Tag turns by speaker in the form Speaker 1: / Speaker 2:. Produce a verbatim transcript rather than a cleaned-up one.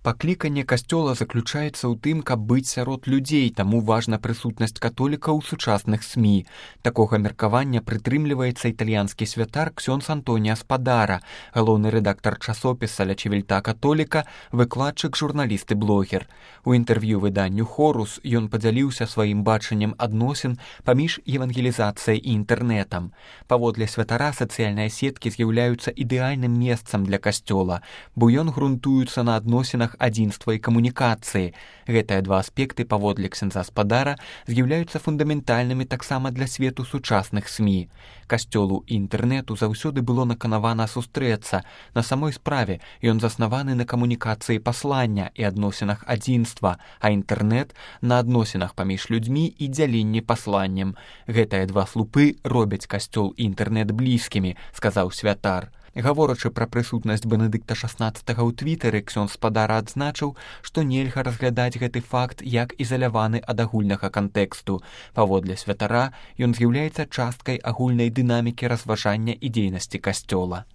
Speaker 1: Пакліканне касцёла заключаецца ў тым, каб быць сярод людзей, таму важна прысутнасць католікаў у сучасных СМІ. Такога меркавання прытрымліваецца італьянскі святар ксёндз Антонія Спадара, галоўны рэдактар часопіса «Ля Чивільта Католіка», выкладчык, журналіст і блогер. У інтэрв'ю выданню «Хорус» ён падзяліўся сваім бачаннем адносін паміж евангелізацыяй і інтэрнэтам. Паводле святара сацыяльныя сеткі з'яўляюцца ідэальным месцам для касцёла, бо ён грунтуецца на адносінах адзінства і камунікацыі. Гэтыя два аспекты, паводле ксяндза Спадара, з'яўляюцца фундаментальнымі таксама для свету сучасных СМІ. Касцёлу і інтэрнэту заўсёды было наканавана сустрэцца. На самой справе ён заснаваны на камунікацыі паслання і адносінах адзінства, а інтэрнэт на адносінах паміж людзьмі і дзяленні пасланнем. Гэтыя два слупы робяць касцёл і інтэрнэт блізкімі, сказаў святар. Гаворачы пра прысутнасць Бенедыкта шаснаццатага ў твітары, ксёндз Спадара адзначыў, што нельга разглядаць гэты факт як ізаляваны ад агульнага кантэксту. Паводле святара, ён з'яўляецца часткай агульнай дынамікі разважання і дзейнасці касцёла.